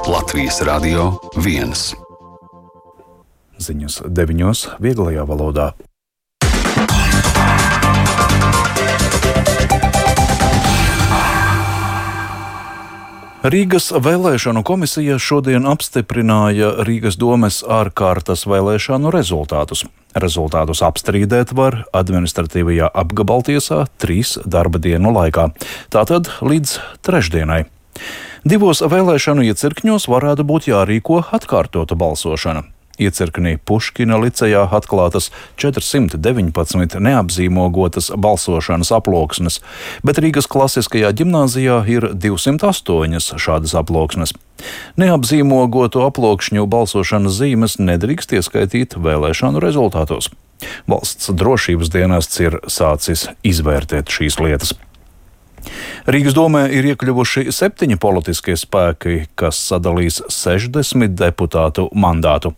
Latvijas Radio 1. Ziņas 9. vieglajā valodā. Rīgas vēlēšanu komisija šodien apstiprināja Rīgas domes ārkārtas vēlēšanu rezultātus. Rezultātus apstrīdēt var administratīvajā apgabaltiesā 3 darba dienu laikā, tātad līdz trešdienai. 2 vēlēšanu iecirkņos varētu būt jārīko atkārtota balsošana. Iecirknī Puškina licejā atklātas 419 neapzīmogotas balsošanas aploksnes, bet Rīgas klasiskajā ģimnāzijā ir 208 šādas aploksnes. Neapzīmogoto aploksņu balsošanas zīmes nedrīkst ieskaitīt vēlēšanu rezultātos. Valsts drošības dienests ir sācis izvērtēt šīs lietas. Rīgas domē ir iekļuvuši 7 politiskie spēki, kas sadalīs 60 deputātu mandātu.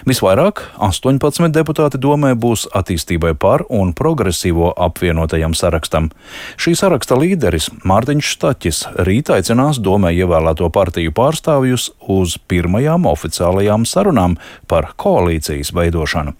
Visvairāk 18 deputāti domē būs Attīstībai par un Progresīvo apvienotajam sarakstam. Šī saraksta līderis Mārtiņš Staķis rīt aicinās domē ievēlēto partiju pārstāvjus uz pirmajām oficiālajām sarunām par koalīcijas veidošanu.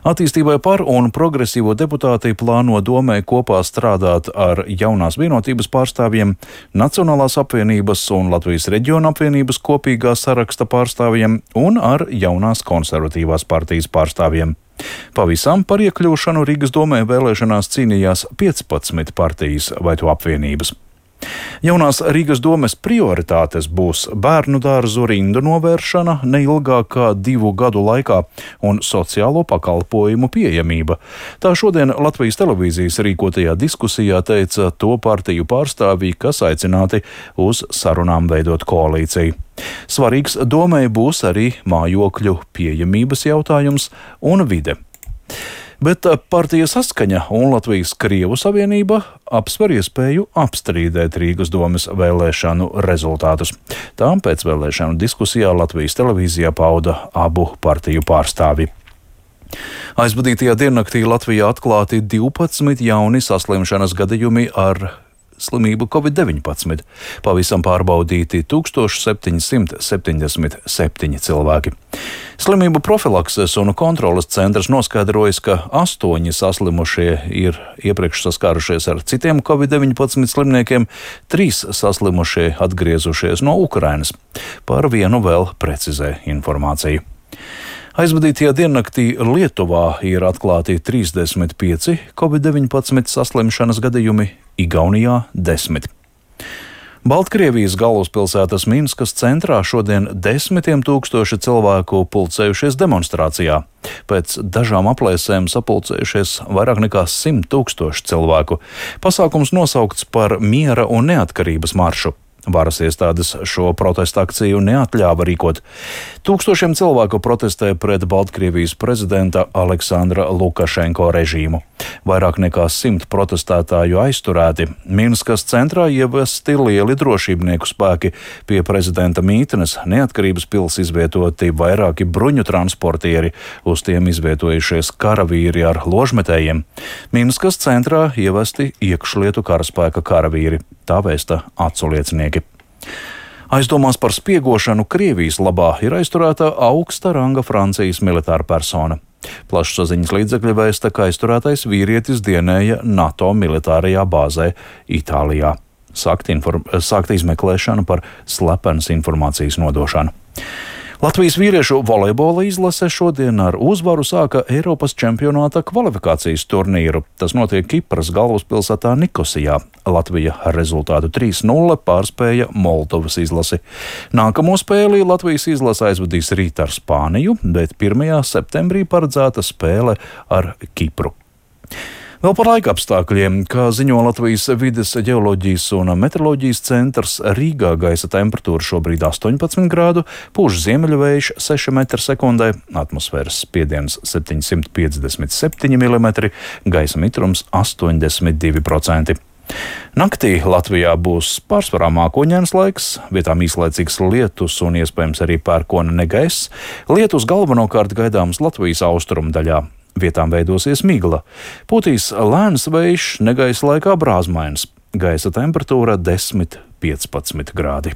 Attīstībai par un Progresīvo deputāti plāno domē kopā strādāt ar Jaunās vienotības pārstāvjiem, Nacionālās apvienības un Latvijas reģiona apvienības kopīgā saraksta pārstāvjiem un ar Jaunās konservatīvās partijas pārstāvjiem. Pavisam par iekļūšanu Rīgas domē vēlēšanās cīnījās 15 partijas vai to apvienības. Jaunās Rīgas domes prioritātes būs bērnu dārzu rindu novēršana neilgāk kā 2 gadu laikā un sociālo pakalpojumu pieejamība. Tā šodien Latvijas televīzijas rīkotajā diskusijā teica to partiju pārstāvji, kas aicināti uz sarunām veidot koalīciju. Svarīgs domei būs arī mājokļu pieejamības jautājums un vide. Bet partija Saskaņa un Latvijas Krievu savienība apsver iespēju apstrīdēt Rīgas domes vēlēšanu rezultātus. Tām pēc vēlēšanu diskusijā Latvijas televīzijā pauda abu partiju pārstāvji. Aizvadītajā diennaktī Latvijā atklāti 12 jauni saslimšanas gadījumi ar slimību Covid-19. Pavisam pārbaudīti 1777 cilvēki. Slimību profilakses un kontroles centrs noskaidrojas, ka 8 saslimušie ir iepriekš saskārušies ar citiem Covid-19 slimniekiem, 3 saslimušie atgriezušies no Ukrainas. Par vienu vēl precizē informāciju. Aizvadītajā diennaktī Lietuvā ir atklāti 35 Covid-19 saslimšanas gadījumi, Igaunijā 10. Baltkrievijas galvaspilsētas Minskas centrā šodien 10 000 cilvēku pulcējušies demonstrācijā. Pēc dažām aplēsēm sapulcējušies vairāk nekā 100 000 cilvēku. Pasākums nosaukts par miera un neatkarības maršu. Varas iestādes šo protestu akciju neatļāva rīkot. Tūkstošiem cilvēku protestē pret Baltkrievijas prezidenta Aleksandra Lukašenko režīmu. Vairāk nekā 100 protestētāju aizturēti. Minskas centrā ievesti lieli drošībnieku spēki. Pie prezidenta mītnes Neatkarības pils izvietoti vairāki bruņu transportieri, uz tiem izvietojušies karavīri ar ložmetējiem. Minskas centrā ievesti iekšlietu karaspēka karavīri. Tā vēsta acu liecinieki. Aizdomās par spiegošanu Krievijas labā ir aizturēta augsta ranga Francijas militāra persona. Plašsaziņas līdzekļi vēsta, ka aizturētais vīrietis dienēja NATO militārajā bāzē Itālijā. Sākta izmeklēšana par slepenas informācijas nodošanu. Latvijas vīriešu volejbola izlase šodien ar uzvaru sāka Eiropas čempionāta kvalifikācijas turnīru. Tas notiek Kipras galvaspilsētā Nikosijā. Latvija ar rezultātu 3-0 pārspēja Moldovas izlasi. Nākamo spēli Latvijas izlase aizvadīs rīt ar Spāniju, bet 1. septembrī paredzēta spēle ar Kipru. Vēl par laika apstākļiem, kā ziņo Latvijas vides ģeoloģijas un meteoroloģijas centrs, Rīgā gaisa temperatūra šobrīd 18 grādu, pūš ziemeļvējš 6 m/sekundē, atmosfēras spiediens 757 mm, gaisa mitrums 82%. Naktī Latvijā būs pārsvarā mākoņains laiks, vietām īslaicīgs lietus un iespējams arī pērkona negaiss. Lietus galvenokārt gaidāms Latvijas austrumu daļā. Vietām veidosies migla. Pūtīs lēns vējš, negaisa laikā brāzmains. Gaisa temperatūra 10–15 grādi.